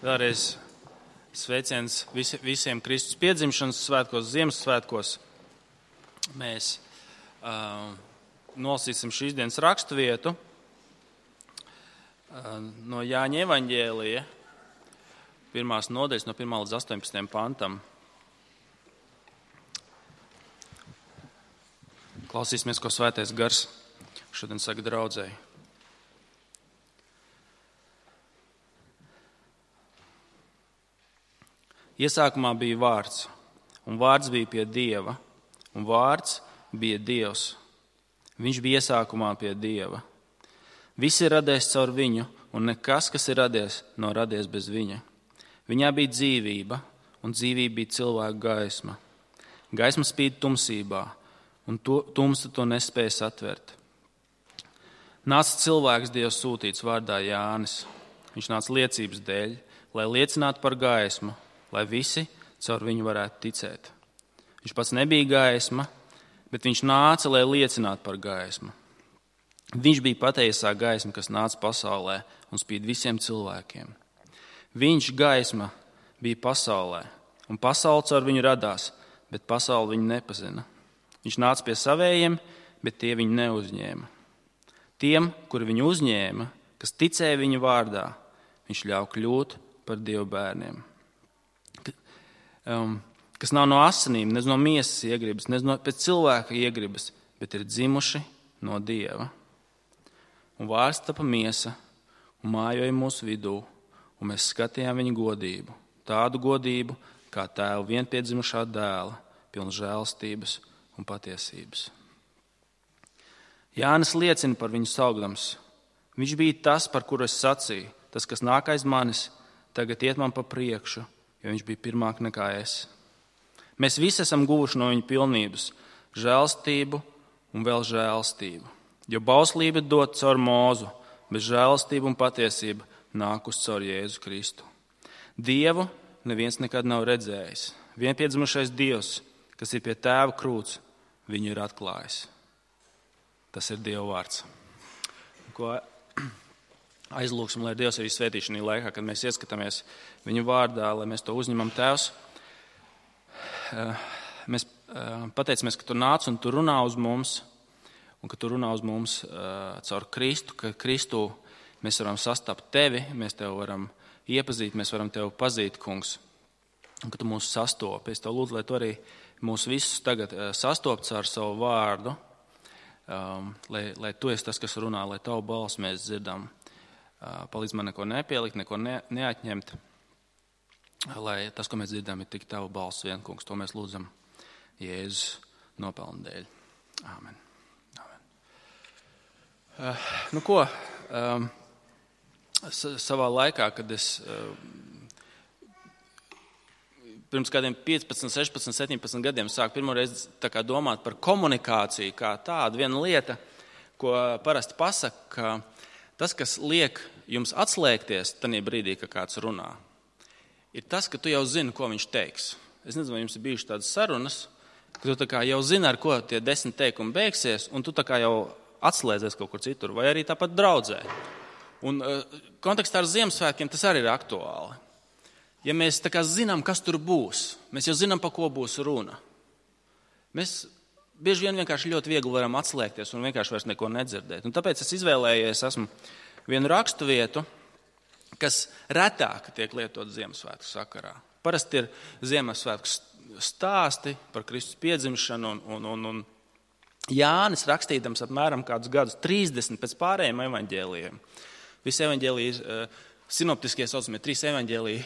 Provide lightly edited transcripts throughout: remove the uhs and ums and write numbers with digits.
Vēlreiz sveiciens visiem Kristus piedzimšanas svētkos, Ziemassvētkos. Mēs nolasīsim šīs dienas raksturvietu no Jāņa evaņģēlija, 1. nodaļas no 1. līdz 18. pantam. Klausīsimies, ko Svētais Gars šodien saka draudzēji. Iesākumā bija vārds, un vārds bija pie Dieva, un vārds bija Dievs. Viņš bija iesākumā pie Dieva. Viss ir radies caur viņu, un nekas, kas ir radies, nav radies bez viņa. Viņā bija dzīvība, un dzīvība bija cilvēka gaisma. Gaisma spīd tumsībā, un tumsa to nespēja satvert. Nāca cilvēks Dievs sūtīts vārdā Jānis. Viņš nāca liecības dēļ, lai liecinātu par gaismu, lai visi caur viņu varētu ticēt. Viņš pats nebija gaisma, bet viņš nāca, lai liecinātu par gaismu. Viņš bija patiesā gaisma, kas nāca pasaulē un spīd visiem cilvēkiem. Viņš, gaisma, bija pasaulē, un pasaule caur viņu radās, bet pasaule viņu nepazina. Viņš nāca pie savējiem, bet tie viņu neuzņēma. Tiem, kuri viņu uzņēma, kas ticēja viņa vārdā, viņš ļauj kļūt par Dieva bērniem. Kas nav no asinīm, ne no miesas iegribas, ne pēc cilvēka iegribas, bet ir dzimuši no Dieva. Un vārds tapa miesa un mājoja mūsu vidū, un mēs skatījām viņa godību, tādu godību, kā tēva vienpiedzimušā dēla, pilna žēlstības un patiesības. Jānis liecina par viņu saukdams. Viņš bija tas, par kuru es sacīju, tas, kas nāk aiz manis, tagad iet man pa priekšu, jo viņš bija pirmāk nekā es. Mēs visi esam guvuši no viņa pilnības, žēlstību un vēl žēlstību. Jo bauslība dot caur Mūzu, bet žēlstība un patiesība nākus caur Jēzu Kristu. Dievu neviens nekad nav redzējis. Vienpiedzimušais Dievs, kas ir pie tēva krūts, viņu ir atklājis. Tas ir Dieva vārds. Ko aizlūksim, lai Dievs arī svētī šajā laikā, kad mēs ieskatāmies viņa vārdā, lai mēs to uzņemam. Tēvs, mēs pateicamies, ka tu nāc un tu runā uz mums, un ka tu runā uz mums caur Kristu, ka Kristu mēs varam sastapt tevi, mēs tevi varam iepazīt, mēs varam tevi pazīt, kungs, un ka tu mūs sastopi. Es tev lūdzu, lai tu arī mūs visus tagad sastopts ar savu vārdu, lai tu esi tas, kas runā, lai tavu balsi mēs dzirdam. Palīdz man neko nepielikt, neko neatņemt, lai tas, ko mēs dzirdam, ir tik tava balss vien, kungs. To mēs lūdzam Jēzus nopelnu dēļ. Āmen. Savā laikā, kad es pirms kādiem 15, 16, 17 gadiem sāku pirmoreiz domāt par komunikāciju kā tādu, viena lieta, ko parasti pasaka, ka tas, kas liek jums atslēgties tajā brīdī, kad kāds runā, ir tas, ka tu jau zini, ko viņš teiks. Es nezinu, vai jums ir bijušas tādas sarunas, ka tu jau zini, ar ko tie 10 teikumi beigsies, un tu jau atslēdzies kaut kur citur, vai arī tāpat draudzē. Un kontekstā ar Ziemassvētkiem tas arī ir aktuāli. Ja mēs zinām, kas tur būs, mēs jau zinām, pa ko būs runa. Mēs bieži vien vienkārši ļoti viegli varam atslēgties un vienkārši vairs neko nedzirdēt. Un tāpēc es izvēlējies vienu raksturvietu, kas retāk tiek lietot Ziemassvētku sakarā. Parasti ir Ziemassvētku stāsti par Kristus piedzimšanu un Jānis rakstīdams apmēram kādus gadus 30 pēc pārējiem evaņģēlijiem. Visi evaņģēliji, sinoptiskie saucamie 3 evaņģēliji,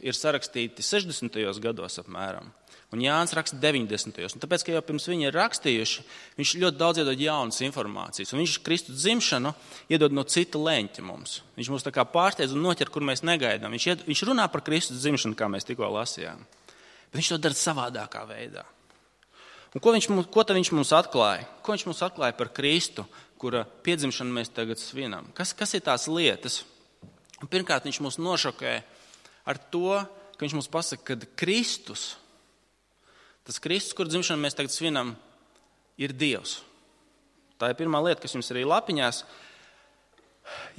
ir sarakstīti 60. gados apmēram. Un Jānis raksta 90. Un tāpēc, ka jau pirms viņi ir rakstījuši, viņš ļoti daudz iedod jaunas informācijas. Un viņš Kristus dzimšanu iedod no cita leņķa mums. Viņš mūs pārsteidz un noķer, kur mēs negaidām. Viņš runā par Kristus dzimšanu, kā mēs tikko lasījām. Bet viņš to dara savādākā veidā. Un ko tad viņš mums atklāja? Ko viņš mums atklāja par Kristu, kura piedzimšanu mēs tagad svinam? Kas ir tās lietas? Un pirmkārt, viņš mūs nošokē ar to, ka viņš mums pasaka, ka Kristus, tas Kristus, kur dzimšanu mēs tagad svinam, ir Dievs. Tā ir pirmā lieta, kas jums arī lapiņās.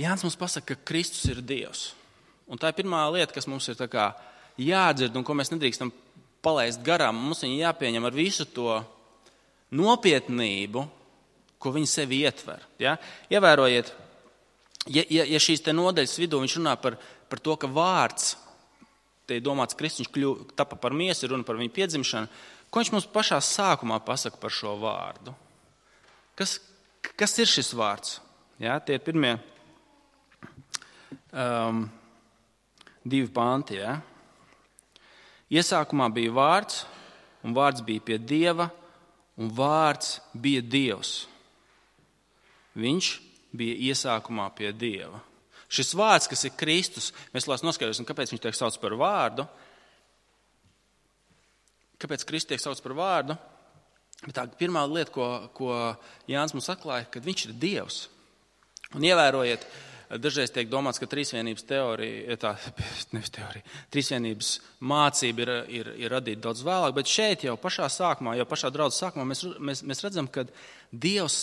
Jānis mums pasaka, ka Kristus ir Dievs. Un tā ir pirmā lieta, kas mums ir tā kā jādzird un ko mēs nedrīkstam palaist garām. Mums viņa jāpieņem ar visu to nopietnību, ko viņa sevi ietver. Ja? Ievērojiet, ja šīs te nodaļas vidū viņš runā par to, ka vārds, te ir domāts Kristus, viņš tapa par miesu, runa par viņu piedzimšanu, ko viņš mums pašā sākumā pasaka par šo vārdu? Kas ir šis vārds? Ja? Tie ir pirmie 2 panti. Ja? Iesākumā bija vārds, un vārds bija pie Dieva, un vārds bija Dievs. Viņš bija iesākumā pie Dieva. Šis vārds, kas ir Kristus, mēs noskaidrosim, kāpēc viņš tiek sauc par vārdu. Kāpēc Kristus tiek sauc par vārdu? Bet tā pirmā lieta, ko Jānis mums atklāja, kad viņš ir Dievs. Un ievērojiet, dažreiz tiek domāts, ka trīsvienības trīsvienības mācība ir radīta daudz vēlāk, bet šeit jau pašā sākumā, jau pašā draudzes sākumā mēs redzam, ka Dievs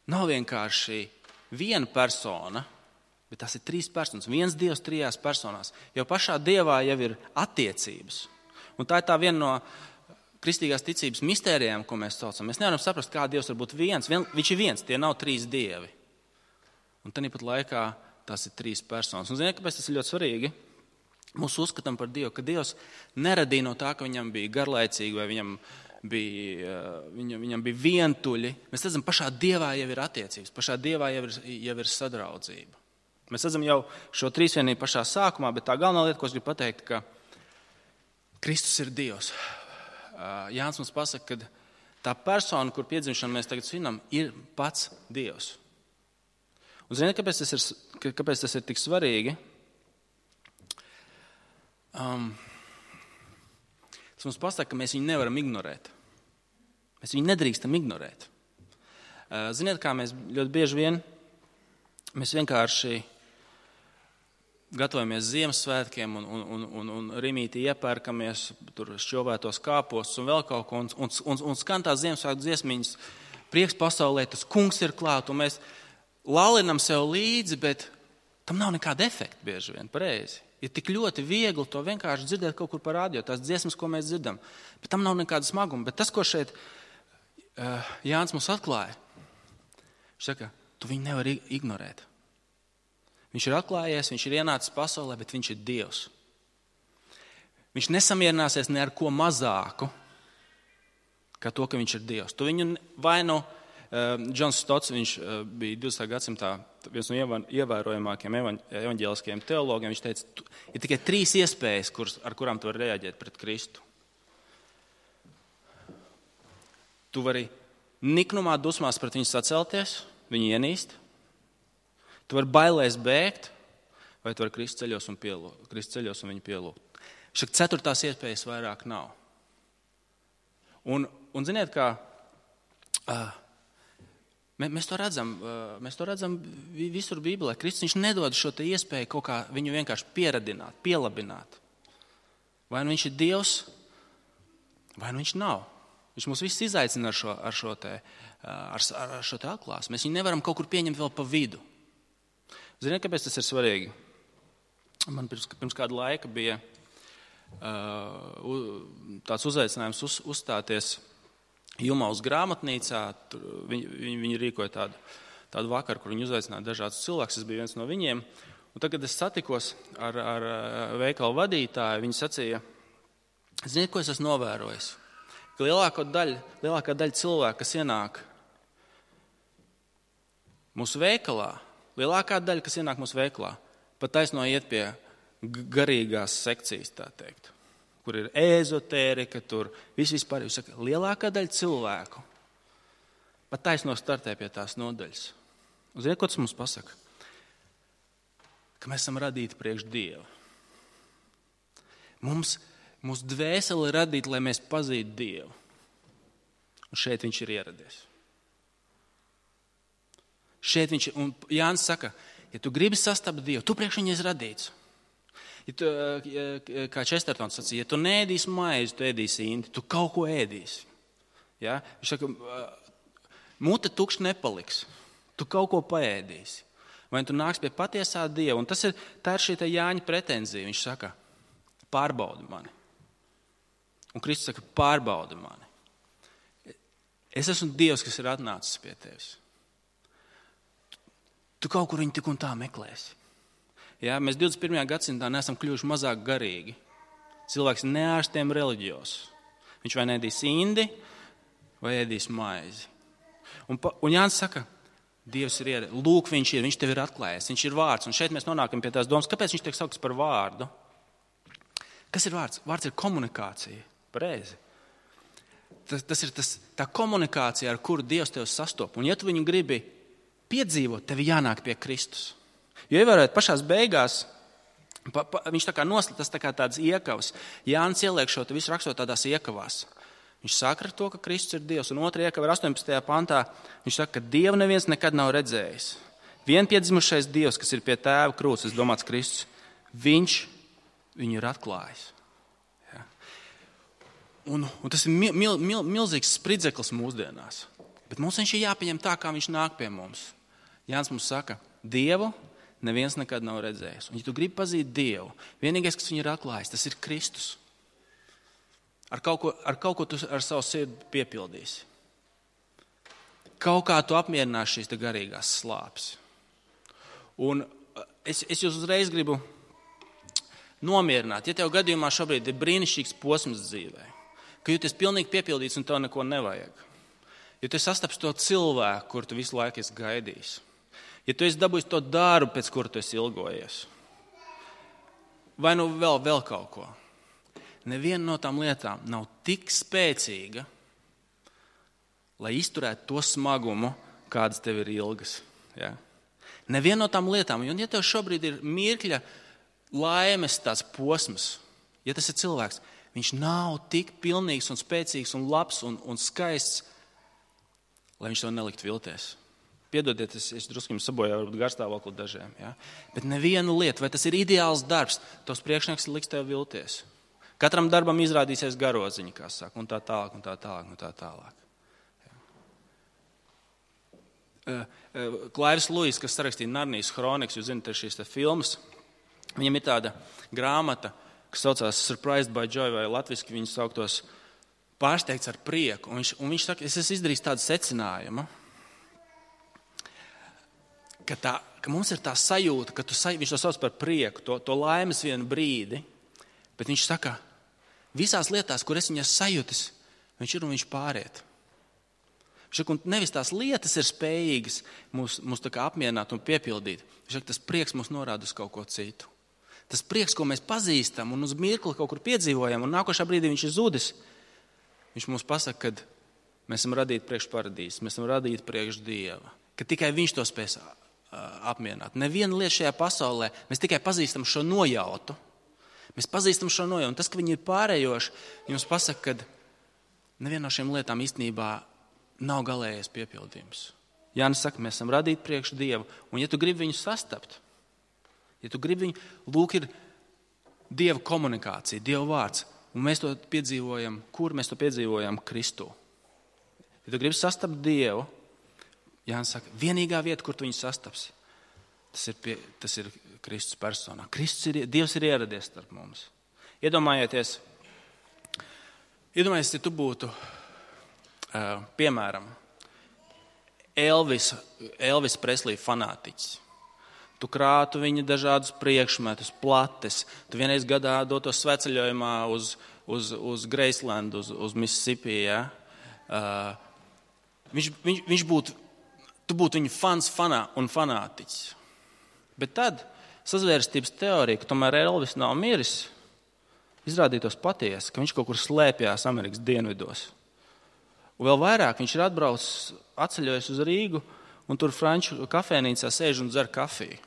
nav vienkārši viena persona, bet tas ir 3 personas. Viens Dievs 3 personās. Jau pašā Dievā jau ir attiecības. Un tā ir tā viena no kristīgās ticības mistērijām, ko mēs saucam. Mēs nevaram saprast, kā Dievs var būt viens. Viņš ir viens, tie nav 3 dievi. Un tāpat laikā tas ir 3 personas. Un ziniet, kāpēc tas ir ļoti svarīgi? Mums uzskatām par Dievu, ka Dievs neradīja no tā, ka viņam bija garlaicīgi vai viņam bija vientuļi. Mēs redzam, pašā Dievā jau ir attiecības, pašā Dievā jau ir sadraudzība. Mēs redzam jau šo trīsvienību pašā sākumā, bet tā galvenā lieta, ko es gribu pateikt, ka Kristus ir Dievs. Jānis mums pasaka, ka tā persona, kur piedzimšanu mēs tagad svinam, ir pats Dievs. Un ziniet, kāpēc tas ir tik svarīgi? Tas mums pasaka, ka mēs viņu nevaram ignorēt. Mēs viņu nedrīkstam ignorēt. Ziniet, kā mēs ļoti bieži vien, mēs vienkārši gatavojamies Ziemassvētkiem un rimītī iepērkamies, tur šķovētos kāpostus un vēl kaut ko, un skan tās Ziemassvētku dziesmiņas, prieks pasaulē, tas kungs ir klāt, un mēs lalinam sev līdzi, bet tam nav nekāda efekta bieži vien, pareizi. Ir tik ļoti viegli to vienkārši dzirdēt kaut kur pa radio, tās dziesmas, ko mēs dzirdam, bet tam nav nekāda smaguma. Bet tas, ko šeit Jānis mums atklāja, viņš saka, tu viņu nevari ignorēt. Viņš ir atklājies, viņš ir ienācis pasaulē, bet viņš ir Dievs. Viņš nesamierināsies ne ar ko mazāku, kā to, ka viņš ir Dievs. Tu viņu vai nu Džons Stots, viņš bija 20. gadsimtā viens no ievērojamākiem evaņģēliskajiem teologiem. Viņš teica, ir tikai 3 iespējas, ar kurām tu vari reaģēt pret Kristu. Tu vari niknumā, dusmās pret viņu sacelties, viņu ienīst. Tu vari bailēs bēgt, vai tu vari krist ceļos un viņu pielūgt. Šak 4. iespējas vairāk nav. Un ziniet, kā mēs to redzam visur Bībelē. Kristus viņš nedod šo te iespēju kaut kā viņu vienkārši pieradināt, pielabināt. Vai nu viņš ir Dievs, vai nu viņš nav. Viņš mūs visus izaicina ar šo te atklāsmi. Mēs viņu nevaram kaut kur pieņemt vēl pa vidu. Ziniet, kāpēc tas ir svarīgi? Man pirms kāda laika bija tāds uzaicinājums uzstāties Jumaus grāmatnīcā. Viņi rīkoja tādu vakaru, kur viņi uzaicināja dažādus cilvēkus. Es biju viens no viņiem. Un tad, kad es satikos ar veikalu vadītāju, viņi sacīja, ziniet, ko es esmu novērojis? Ka lielākā daļa cilvēku, kas ienāk mūsu veikalā, pat taisno iet pie garīgās sekcijas, tā teikt, kur ir ezotērika, tur vispār. Jūs saka, lielākā daļa cilvēku pat taisno startē pie tās nodaļas. Un ziniet, ko tas mums pasaka? Ka mēs esam radīti priekš Dieva. Mūsu dvēsele ir radīta, lai mēs pazītu Dievu. Un šeit viņš ir ieradies. Un Jānis saka, ja tu gribi sastapt Dievu, tu priekš viņu esi radīts. Kā Čestertons sacīja, ja tu neēdīsi maizi, tu ēdīsi indi, tu kaut ko ēdīsi. Ja? Viņš saka, mute tukšs nepaliks, tu kaut ko paēdīsi. Vai tu nāks pie patiesā Dieva? Un tā ir šī Jāņa pretenzija. Viņš saka, pārbaudi mani. Un Kristus saka, pārbaudi mani. Es esmu Dievs, kas ir atnācis pie tevis. Tu kaut kur viņu tik un tā meklēsi. Ja, mēs 21. gadsimtā neesam kļuvuši mazāk garīgi. Cilvēks neārstiem reliģijos. Viņš vai nedīs indi, vai ēdīs maizi. Un Jānis saka, Dievs ir ieradies. Lūk, viņš tev ir atklājies, viņš ir vārds. Un šeit mēs nonākam pie tās domas, kāpēc viņš tiek saukts par vārdu. Kas ir vārds? Vārds ir komunikācija. Pareizi. Tas ir tā komunikācija, ar kuru Dievs tev sastop. Un ja tu viņu gribi piedzīvot, tev jānāk pie Kristus. Jo ievērojot pašās beigās, viņš tā kā noslēdz tāds iekavas. Jānis ieliek šo visu rakstot tādās iekavās. Viņš saka ar to, ka Kristus ir Dievs. Un otrajā iekavā 18. pantā viņš saka, ka Dievu neviens nekad nav redzējis. Vienpiedzimušais Dievs, kas ir pie tēva krūts, domāts Kristus, viņš viņu ir atklājis. Ja. Un tas ir milzīgs spridzeklis mūsdienās. Bet mums viņš ir jāpieņem tā, kā viņš nāk pie mums. Jānis mums saka, Dievu neviens nekad nav redzējis. Un ja tu gribi pazīt Dievu, vienīgais, kas viņu ir atklājis, tas ir Kristus. Ar kaut ko tu ar savu sirdi piepildīsi. Kaut kā tu apmierināsi šīs garīgās slāpes. Un es jūs uzreiz gribu nomierināt, ja tev gadījumā šobrīd ir brīnišķīgs posms dzīvē, ka jūties pilnīgi piepildīts un tev neko nevajag. Ja tu sastaps to cilvēku, kur tu visu laiku esi gaidījis. Ja tu esi dabūjis to darbu, pēc kura tu esi ilgojies. Vai nu vēl kaut ko. Neviena no tām lietām nav tik spēcīga, lai izturētu to smagumu, kādas tev ir ilgas. Ja? Neviena no tām lietām, un ja tev šobrīd ir mirkļa laimes tāds posms, ja tas ir cilvēks, viņš nav tik pilnīgs un spēcīgs un labs un skaists, lai viņš to nelikt vilties. Piedodiet, es drusku jums sabojāju varbūt garstāvokli dažiem. Ja? Bet neviena lieta, vai tas ir ideāls darbs, tos priekšnieks liks tev vilties. Katram darbam izrādīsies garoziņa, kā saka, un tā tālāk, un tā tālāk, un tā tālāk. Klairs Luis, kas sarakstīja Narnijas kronikas, jūs zināt, ir šīs filmas, viņam ir tāda grāmata, kas saucās Surprised by Joy, vai latviski viņu sauktos pārsteigts ar prieku. Un viņš saka, es esmu izdarījis tādu secinājumu, ka mums ir tā sajūta, ka viņš to sauc par prieku, to laimes vienu brīdi, bet viņš saka, visās lietās, kur es viņas sajūtis, viņš ir un viņš pāriet. Viņš saka, un nevis tās lietas ir spējīgas mūs tā kā apmierināt un piepildīt. Viņš saka, tas prieks mūs norāda uz kaut ko citu. Tas prieks, ko mēs pazīstam un uz mirkli kaut kur piedzīvojam, un nākošā brīdī viņš ir zudis, viņš mums pasaka, ka mēs esam radīti priekš paradīzes, mēs esam radīti priekš Dieva, ka tikai viņš to spēs apmierināt. Neviena lieta šajā pasaulē, mēs tikai pazīstam šo nojautu. Mēs pazīstam šo nojautu. Un tas, ka viņi ir pārējoši, jums pasaka, ka neviena no šīm lietām īstenībā nav galējais piepildījums. Jānis saka, mēs esam radīti priekš Dievu. Un ja tu gribi viņu sastapt, ja tu gribi viņu, lūk, ir Dieva komunikācija, Dieva vārds. Un mēs to piedzīvojam, kur mēs to piedzīvojam? Kristū. Ja tu gribi sastapt Dievu, Jānis saka, vienīgā vieta, kur tu viņu sastapsi, tas ir Kristus personā. Dievs ir ieradies starp mums. Iedomājieties, ja tu būtu, piemēram, Elvis Preslī fanātiķis. Tu krātu viņa dažādus priekšmetus, plates. Tu vienreiz gadā dotos sveceļojumā uz Graceland, uz Mississippi. Ja? Tu būtu viņa fans un fanātiķis. Bet tad sazvērstības teorija, ka tomēr Elvis nav miris, izrādītos patiesi, ka viņš kaut kur slēpjās Amerikas dienvidos. Un vēl vairāk viņš ir atbraucis, atceļojis uz Rīgu un tur franču kafēnīcā sēž un dzer kafiju.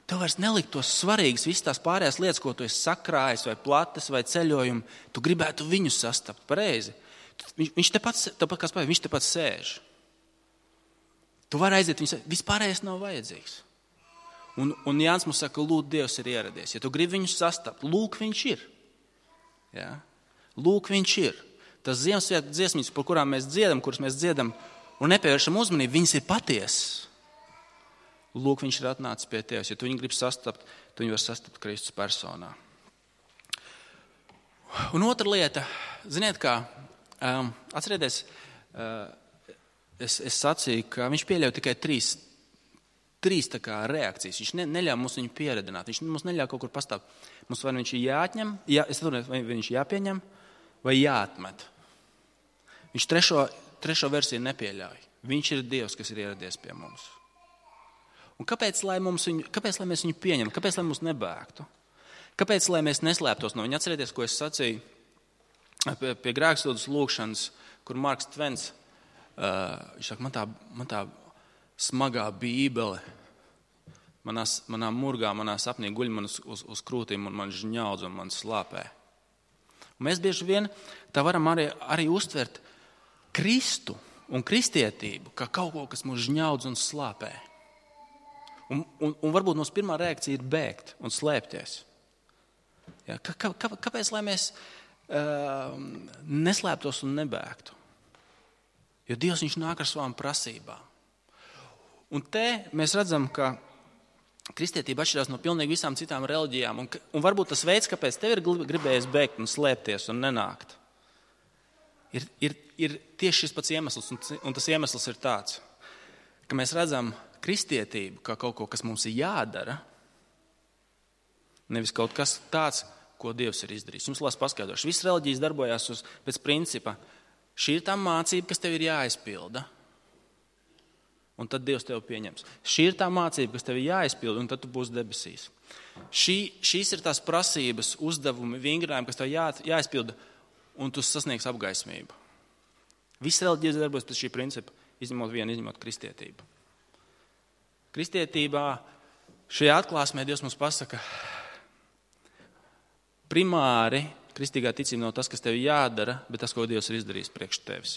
Tev vairs neliktos svarīgas visas tās pārējās lietas, ko tu esi sakrājis, vai plates, vai ceļojumi. Tu gribētu viņu sastapt, pareizi. Viņš tepat sēž. Tu vari aiziet, vispārējais nav vajadzīgs. Un Jānis mums saka, lūk, Dievs ir ieradies. Ja tu gribi viņu sastapt, lūk, viņš ir. Ja? Lūk, viņš ir. Tas Ziemassvētku dziesmības, kuras mēs dziedam un nepievēršam uzmanību, viņas ir patiesas. lūk, viņš ir atnācis pie tevis. Ja tu viņu gribi sastapt, tu viņu var sastapt Kristus personā. Un otra lieta, ziniet kā, atcerieties, es sacīju, ka viņš pieļauj tikai trīs tā kā reakcijas. Viņš neļauj mums viņu pieredināt. Viņš mums neļauj kaut kur pastāvēt. Mums vai viņš ir jāatņem, vai viņš jāpieņem, vai jāatmet. Viņš trešo versiju nepieļauj. Viņš ir Dievs, kas ir ieradies pie mums. Un kāpēc, lai mēs viņu pieņemam? Kāpēc, lai mums nebēgtu? Kāpēc, lai mēs neslēptos no viņa? Atcerieties, ko es sacīju pie grēksūdzes lūkšanas, kur Marks Tvens, viņš saka, man tā smagā bībele, manā murgā, manā sapnī guļ man uz krūtīm un man žņaudz un man slāpē. Un mēs bieži vien tā varam arī uztvert Kristu un kristietību kā kaut ko, kas mūs žņaudz un slāpē. Un varbūt mūsu pirmā reakcija ir bēgt un slēpties. Ja, kāpēc, lai mēs neslēptos un nebēgtu? Jo Dievs viņš nāk ar savām prasībām. Un te mēs redzam, ka kristietība atšķirās no pilnīgi visām citām reliģijām. Un varbūt tas veids, kāpēc tev ir gribējies bēgt un slēpties un nenākt, ir tieši šis pats iemesls. Un tas iemesls ir tāds, ka mēs redzam kristietību kā kaut ko, kas mums ir jādara, nevis kaut kas tāds, ko Dievs ir izdarījis. Jums lās paskaidrošu. Visas reliģijas darbojās pēc principa. Šī ir tā mācība, kas tev ir jāizpilda. Un tad Dievs tevi pieņems. Šī ir tā mācība, kas tev ir jāizpilda, un tad tu būsi debesīs. Šīs ir tās prasības, uzdevumi, vingrinājumi, kas tev jāizpilda, un tu sasniegs apgaismību. Visas reliģijas darbojas pēc šī principa, izņemot kristietību. Kristietībā šajā atklāsmē Dievs mums pasaka, primāri kristīgā ticība nav tas, kas tev jādara, bet tas, ko Dievs ir izdarījis priekš tevis.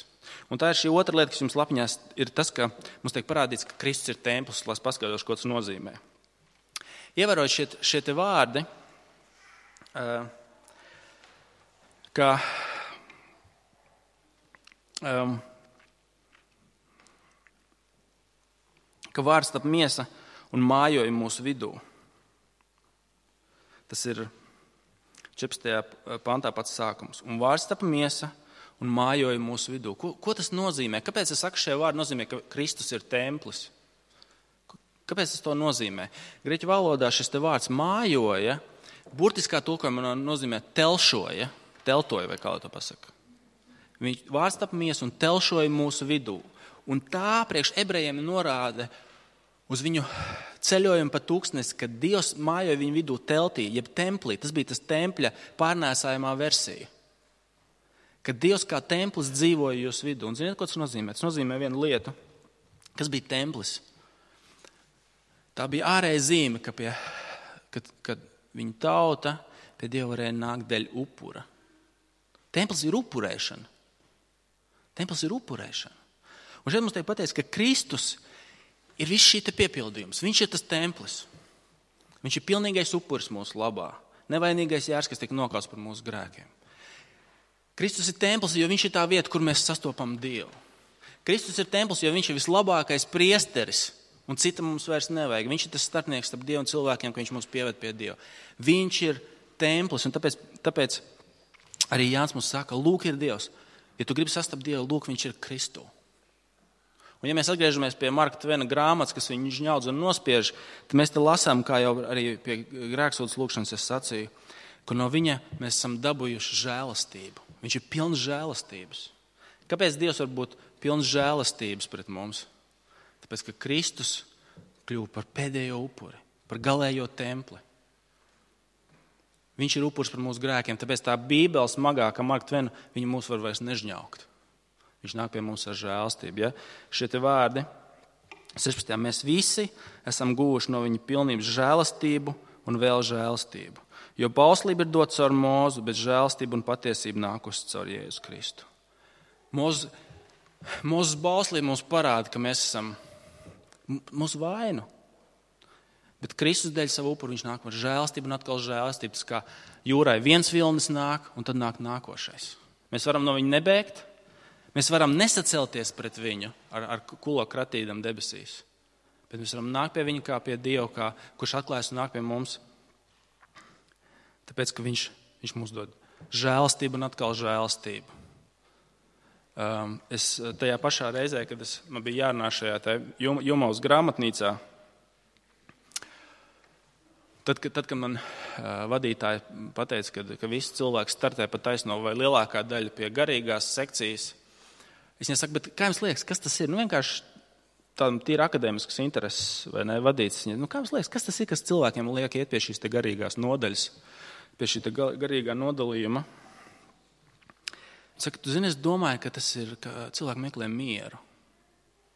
Un tā ir šī otra lieta, kas jums lapiņās, ir tas, ka mums tiek parādīts, ka Kristus ir templis, lai paskaidrošu, ko tas nozīmē. Ievērojot šie te vārdi, ka vārds tapa miesa un mājoja mūsu vidū. Tas ir 14. pantā pats sākums. Un vārds tapa miesa un mājoja mūsu vidū. Ko tas nozīmē? Kāpēc es saku šie vārdi nozīmē, ka Kristus ir templis? Kāpēc tas to nozīmē? Grieķu valodā šis te vārds mājoja, burtiskā tulkojumā nozīmē telšoja, teltoja vai kā to pasaka. Vārds tapa miesa un telšoja mūsu vidū. Un tā priekš ebrejiem norāda uz viņu ceļojumu pa tūkstnesi, kad Dievs mājoja viņu vidū teltī, jeb templī. Tas bija tas tempļa pārnēsājumā versija. Kad Dievs kā templis dzīvoja jūsu vidū. Un ziniet, ko tas nozīmē? Tas nozīmē vienu lietu. Kas bija templis? Tā bija ārēja zīme, kad viņa tauta pie Dieva varēja nākt dēļ upura. Templis ir upurēšana. Templis ir upurēšana. Un šeit mums tiek pateikts, ka Kristus ir viss šī te piepildījums. Viņš ir tas templis. Viņš ir pilnīgais upuris mūsu labā. Nevainīgais jērs, kas tiek nokauts par mūsu grēkiem. Kristus ir templis, jo viņš ir tā vieta, kur mēs sastopam Dievu. Kristus ir templis, jo viņš ir vislabākais priesteris, un cita mums vairs nevajag. Viņš ir tas starpnieks starp Dievu un cilvēkiem, ka viņš mūs pieved pie Dieva. Viņš ir templis, un tāpēc arī Jānis mums saka, lūk ir Dievs. Ja tu gribi sastapt Dievu, lūk, viņš ir Kristu. Un ja mēs atgriežamies pie Marka Tvena grāmatas, kas viņu žņaudz un nospiež, tad mēs te lasām, kā jau arī pie grēksūdzes lūkšanas es sacīju, ka no viņa mēs esam dabūjuši žēlastību. Viņš ir pilns žēlastības. Kāpēc Dievs var būt pilns žēlastības pret mums? Tāpēc, ka Kristus kļuva par pēdējo upuri, par galējo templi. Viņš ir upuris par mūsu grēkiem, tāpēc tā Bībele smagā, kā Marka Tvena, viņa mūs var vairs nežņaukt. Viņš nāk pie mums ar žēlastību. Ja? Šie te vārdi, 16. Mēs visi esam guvuši no viņa pilnības žēlastību un vēl žēlastību. Jo bauslība ir dota caur Mūzu, bet žēlastība un patiesība nākusi caur Jēzu Kristu. Mūzes bauslība mums parāda, ka mēs esam mūsu vainu. Bet Kristus dēļ savu upuru viņš nāk ar žēlastību un atkal žēlastību. Tas kā jūrai viens vilnis nāk un tad nāk nākošais. Mēs varam no viņa nebēgt. Mēs varam nesacelties pret viņu ar kulo kratīdam debesīs. Bet mēs varam nākt pie viņa kā pie Dieva, kurš atklājas un nāk pie mums. Tāpēc, ka viņš mums dod žēlastību un atkal žēlastību. Es tajā pašā reizē, kad man bija jārunā šajā Jumavas grāmatnīcā, tad, kad man vadītāji pateica, ka visi cilvēki startē pa taisno vai lielākā daļa pie garīgās sekcijas, es viņai saku, bet kā jums liekas, kas tas ir? Vienkārši tādam tīri akadēmiskas intereses vai ne vadīts. Kā jums liekas, kas tas ir, kas cilvēkiem liek iet pie šīs te garīgās nodaļas, pie šī te garīgā nodalījuma? Saka, tu zini, es domāju, ka tas ir, ka cilvēki meklē mieru.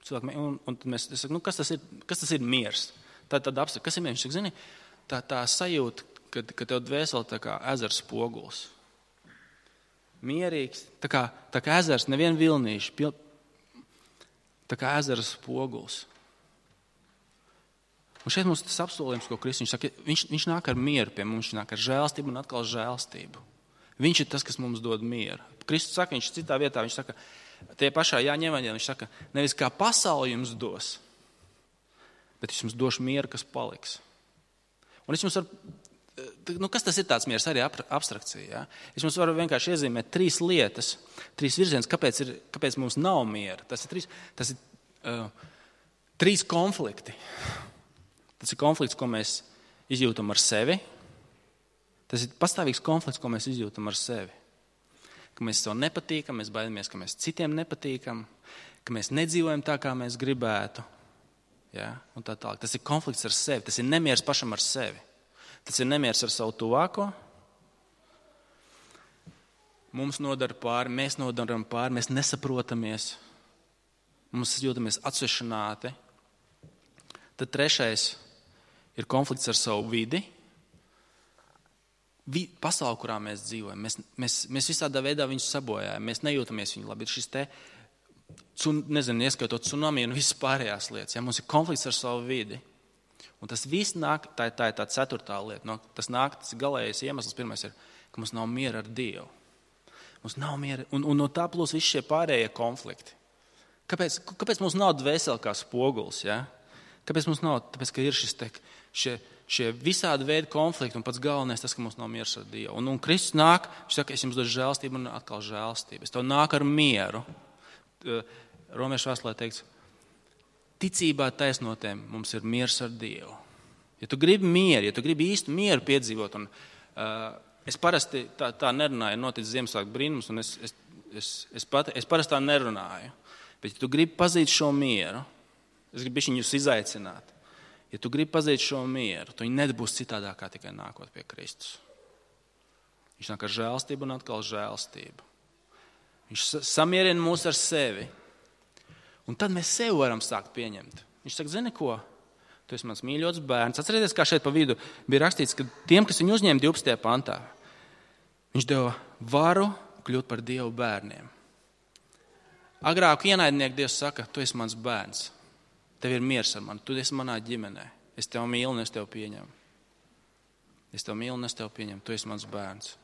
Un es saku, kas tas ir miers? Tad apsaka, kas ir miers? Viņš saka, zini, tā sajūta, ka tev dvēseli tā kā ezers spoguls. Mierīgs, tā kā ezers, nevien vilnīši, tā kā ezers spoguls. Un šeit mums tas apsolījums, ko Kristus, viņš saka, viņš nāk ar mieru pie mums, viņš nāk ar žēlstību un atkal žēlstību. Viņš ir tas, kas mums dod mieru. Kristus saka, viņš citā vietā, viņš saka, tie pašā Jāņa evaņģēlijā, viņš saka, nevis kā pasauli jums dos, bet es jums došu mieru, kas paliks. Un es jums varu, kas tas ir tāds miers, arī abstrakcija, ja? Es jums varu vienkārši iezīmēt 3 lietas, 3 virzienus, kāpēc mums nav miera. Tas ir 3 konflikti. Tas ir konflikts, ko mēs izjūtam ar sevi. Tas ir pastāvīgs konflikts, ko mēs izjūtam ar sevi. Ka mēs sev nepatīkam, mēs baidamies, ka mēs citiem nepatīkam, ka mēs nedzīvojam tā, kā mēs gribētu. Ja? Un tā tālāk. Tas ir konflikts ar sevi, tas ir nemiers pašam ar sevi. Tas ir nemiers ar savu tuvāko. Mums nodara pāri, mēs nodaram pāri, mēs nesaprotamies. Mums jūtamies atsvešināti. Tad 3. ir konflikts ar savu vidi. Pasauli, kurā mēs dzīvojam, mēs visādā veidā viņus sabojājam, mēs nejūtamies viņu labi. Ir šis te, ieskaitot tsunami un visas pārējās lietas. Ja? Mums ir konflikts ar savu vidi. Un tas viss nāk, tā ir tā 4. lieta. Tas ir galējais iemesls. Pirmais ir, ka mums nav miera ar Dievu. Mums nav miera, un no tā plus visi šie pārējie konflikti. Kāpēc mums nav dvēseli kā spoguls? Ja? Kāpēc mums nav? Tāpēc, ka ir šie visādi veidi konflikti, un pats galvenais tas, ka mums nav miers ar Dievu. Un Kristus nāk, viņš saka, es jums došu žēlstību un atkal žēlstību. Es tev nāku ar mieru. Romiešu vēstulē teikts, ticībā taisnotiem mums ir miers ar Dievu. Ja tu gribi mieru, ja tu gribi īstu mieru piedzīvot, un es parasti tā nerunāju, noticis Ziemassvētku brīnums, un es parasti tā nerunāju. Bet ja tu gribi pazīt šo mieru, es gribu viņus izaicināt. Ja tu gribi pazīt šo mieru, tu viņi nebūs citādāk kā tikai nākot pie Kristus. Viņš nāk ar žēlstību un atkal žēlstību. Viņš samierina mūs ar sevi. Un tad mēs sevi varam sākt pieņemt. Viņš saka, zini ko? Tu esi mans mīļots bērns. Atcerieties, kā šeit pa vidu bija rakstīts, ka tiem, kas viņu uzņēma 12. pantā, viņš deva varu kļūt par Dievu bērniem. Agrāk ienaidnieki Dievs saka, tu esi mans bērns. Tev ir miers ar mani, tu esi manā ģimenē. Es tev mīlu un es tev pieņemu. Es tev mīlu un es tev pieņemu, tu esi mans bērns.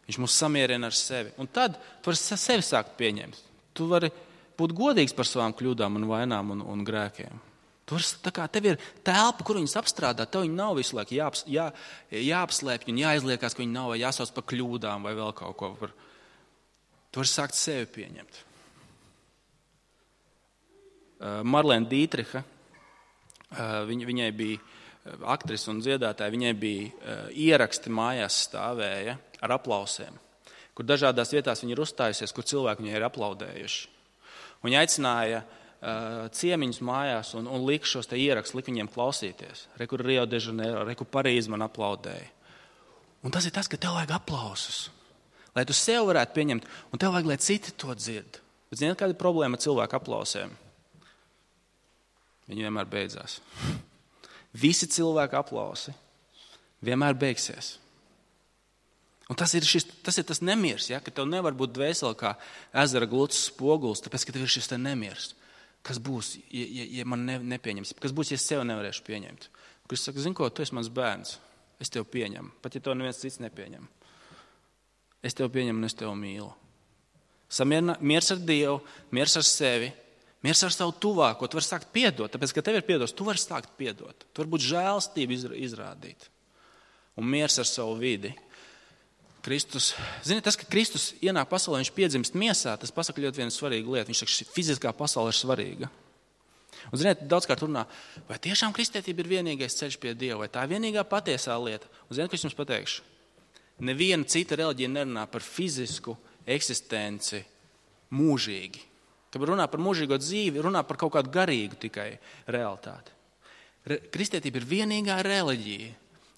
Viņš mūs samierina ar sevi. Un tad tu vari sevi sākt pieņemt. Tu vari būt godīgs par savām kļūdām un vainām un grēkiem. Tev ir telpa, kur viņus apstrādā. Tev viņi nav visu laiku jāapslēpj un jāizliekās, ka viņi nav vai jāsauc par kļūdām vai vēl kaut ko. Tu vari sākt sevi pieņemt. Marlēna Dītriha, viņai bija aktrise un dziedātāja, viņai bija ieraksti mājās stāvēja ar aplausiem, kur dažādās vietās viņa ir uzstājusies, kur cilvēki viņai ir aplaudējuši. Viņa aicināja ciemiņus mājās un lika šos te ierakstus, lika viņiem klausīties. Rekur Rio de Janeiro, rekur Parīzi man aplaudēja. Un tas ir tas, ka tev vajag aplausus, lai tu sev varētu pieņemt, un tev vajag, lai citi to dzird. Bet ziniet, kāda ir problēma ar cilvēku aplausiem? Viņi vienmēr beidzās. Visi cilvēki aplausi vienmēr beigsies. Un tas ir tas nemiers, ja? Ka tev nevar būt dvēseli kā ezera gluds spoguls, tāpēc, ka tev ir šis te nemiers. Kas būs, ja man nepieņems? Kas būs, ja es sev nevarēšu pieņemt? Kristus saka, zini ko, tu esi mans bērns, es tev pieņemu, pat ja to neviens cits nepieņem. Es tev pieņemu un es tev mīlu. Miers ar Dievu, miers ar sevi, Miers ar savu tuvāko, tu vari sākt piedot, tāpēc, ka tev ir piedos, tu vari sākt piedot. Tu vari būt žēlstību izrādīt. Un miers ar savu vidi. Kristus, ziniet, tas, ka Kristus ienāk pasaulē, viņš piedzimst miesā, tas pasaka ļoti vienu svarīgu lietu. Viņš saka, ka fiziskā pasaule ir svarīga. Un, ziniet, daudzkārt runā, vai tiešām kristietība ir vienīgais ceļš pie Dieva, vai tā ir vienīgā patiesā lieta. Un, ziniet, ko es jums pateikšu? Neviena cita reliģija nerunā par fizisku eksistenci mūžīgi. Kad runā par mūžīgo dzīvi, runā par kaut kādu garīgu tikai realitāti. Kristietība ir vienīgā reliģija,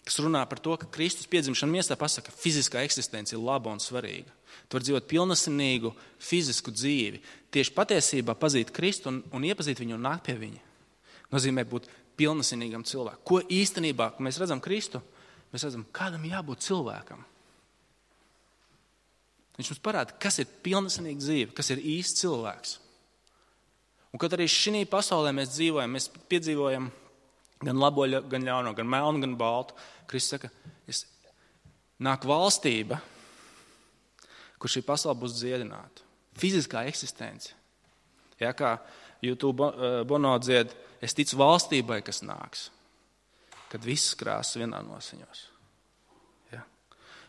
kas runā par to, ka Kristus piedzimšana miesā pasaka, ka fiziskā eksistence ir laba un svarīga. Tu vari dzīvot pilnasinīgu fizisku dzīvi. Tieši patiesībā pazīt Kristu un iepazīt viņu un nākt pie viņa. Nozīmē būt pilnasinīgam cilvēkam. Ko īstenībā, kad mēs redzam Kristu, mēs redzam, kādam jābūt cilvēkam. Viņš mums parāda, kas ir pilnasinīga dzīve, kas ir īsts cilvēks. Un kad arī šī pasaulē mēs dzīvojam, mēs piedzīvojam gan labo, gan ļauno, gan melnu, gan baltu. Kristus saka, nāk valstība, kur šī pasaule būs dziedināta. Fiziskā eksistence. Ja, kā YouTube Bono dzied, es ticu valstībai, kas nāks, kad visas krāsas vienā nosiņos. Ja.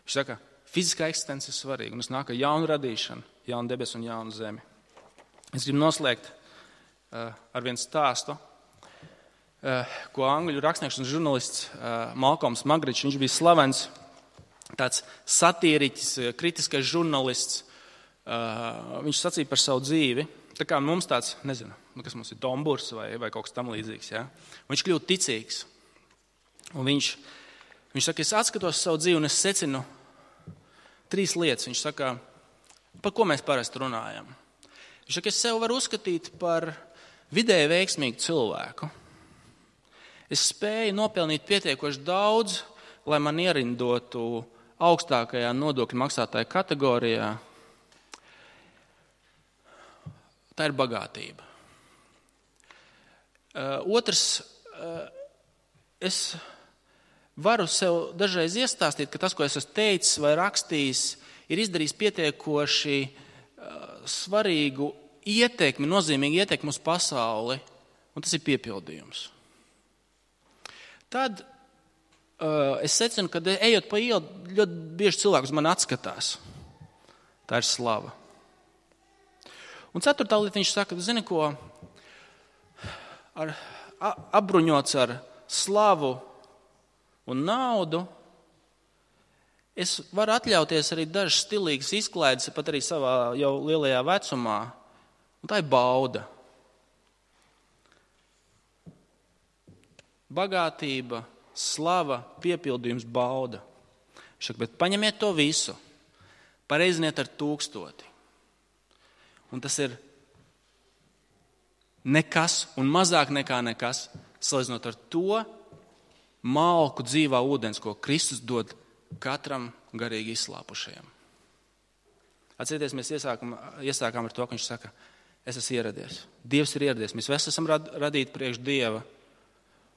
Viņš saka, fiziskā eksistence ir svarīga, un es nāku ar jaunu radīšanu, jaunu debesu un jaunu zemi. Es gribu noslēgt ar vienu stāstu, ko angļu rakstnieks un žurnālists Malcolms Magričs, viņš bija slavens tāds satīriķis, kritiskais žurnālists. Viņš sacīja par savu dzīvi, tā kā mums tāds, nezinu, kas mums ir Domburs vai kaut kas tam līdzīgs. Ja? Viņš kļūst ticīgs. Un viņš saka, es atskatos savu dzīvi un es secinu 3 lietas. Viņš saka, par ko mēs parasti runājam. Viņš saka, es sev varu uzskatīt par vidēji veiksmīgu cilvēku. Es spēju nopelnīt pietiekoši daudz, lai man ierindotu augstākajā nodokļu maksātāja kategorijā. Tā ir bagātība. Otrs, es varu sev dažreiz iestāstīt, ka tas, ko es esmu teicis vai rakstījis, ir izdarījis pietiekoši svarīgu ietekmi, nozīmīgu ietekmi uz pasauli, un tas ir piepildījums. Tad es secinu, ka ejot pa ielu, ļoti bieži cilvēki uz mani atskatās. Tā ir slava. Un 4. lieta viņš saka, zini ko, apbruņots ar slavu un naudu, es varu atļauties arī dažas stilīgas izklaides, pat arī savā jau lielajā vecumā, un tā ir bauda. Bagātība, slava, piepildījums, bauda. Viņš saka, bet paņemiet to visu, pareiziniet ar 1000. Un tas ir nekas un mazāk nekā nekas, salīdzinot ar to malku dzīvā ūdens, ko Kristus dod katram garīgi izslāpušajam. Atcerieties, mēs iesākām ar to, ka viņš saka, es esmu ieradies. Dievs ir ieradies. Mēs visi esam radīti priekš Dieva.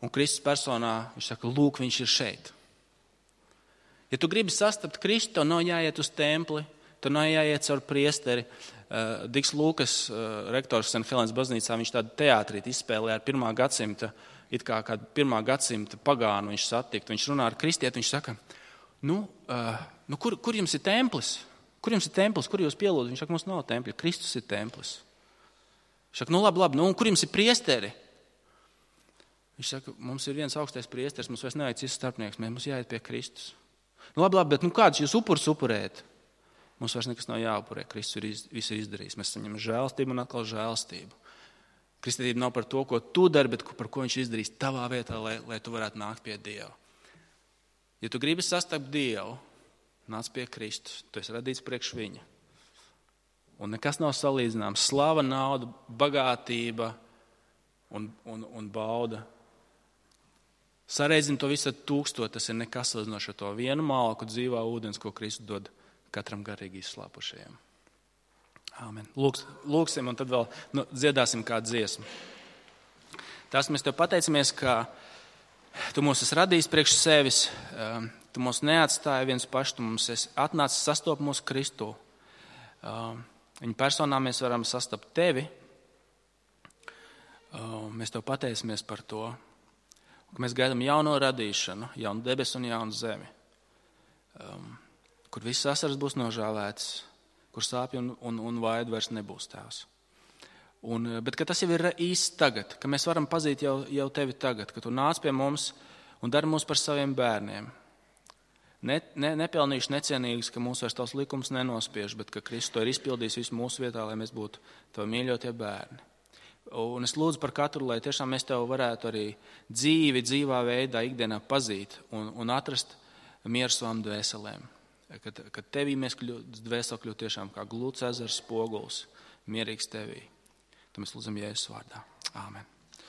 Un Kristus personā, viņš saka, lūk, viņš ir šeit. Ja tu gribi sastapt Kristu, tev nav jāiet uz templi, tev nav jāiet caur priesteri. Diks Lūkas, rektors St. Helēnas baznīcā, viņš tādu teātrīti izspēlē ar 1. gadsimta, it kā kādu 1. gadsimta pagānu viņš satikt. Viņš runā ar kristieti, viņš saka, kur jums ir templis? Kur jums ir templis? Kur jūs pielūdat? Viņš saka, mums nav tempļa, Kristus ir templis. Viņš saka, labi, un kur jums ir priesteri? Viņš saka, mums ir viens augstais priesteris, mums vairs nevajag cits starpnieks, mums jāiet pie Kristus. Labi, bet kādus jūs upurus upurēt? Mums vairs nekas nav jāupurē, Kristus visu ir izdarījis. Mēs saņemam žēlstību un atkal žēlstību. Kristietība nav par to, ko tu dari, bet par ko viņš izdarīs tavā vietā, lai tu varētu nākt pie Dieva. Ja tu gribi sastapt Dievu, nāc pie Kristus, tu esi radīts priekš viņa. Un nekas nav salīdzināms. Slava, nauda, bagātība un bauda. Sareizim to visu ar 1000, tas ir nekas salīdzinoši ar to vienu malku dzīvā ūdens, ko Kristus dod katram garīgi izslāpušajiem. Āmen. Lūksim un tad vēl dziedāsim kādu dziesmu. Tās mēs tev pateicamies, ka tu mūs esi radījis priekš sevis, tu mūs neatstāji viens paši, tu mums esi atnācis sastopt mūsu Kristu. Viņa personā mēs varam sastapt tevi, Mēs tev pateicamies par to, ka mēs gaidām jauno radīšanu, jaunu debesu un jaunu zemi, kur viss asaras būs nožāvētas, kur sāpju un vaidu vairs nebūs, Tēvs. Bet ka tas jau ir īsti tagad, ka mēs varam pazīt jau tevi tagad, ka tu nāc pie mums un dari mūs par saviem bērniem. Nepelnījuši necienīgs, ka mūs vairs tavs likums nenospiež, bet ka Kristus to ir izpildījis visu mūsu vietā, lai mēs būtu tavi mīļotie bērni. Un es lūdzu par katru, lai tiešām mēs tev varētu arī dzīvā veidā ikdienā pazīt un atrast mieru savām dvēselēm. Kad tevī mēs dvēseli kļūt tiešām kā glūts ezers spoguls, mierīgs tevī. To mēs lūdzam Jēzus vārdā. Āmen.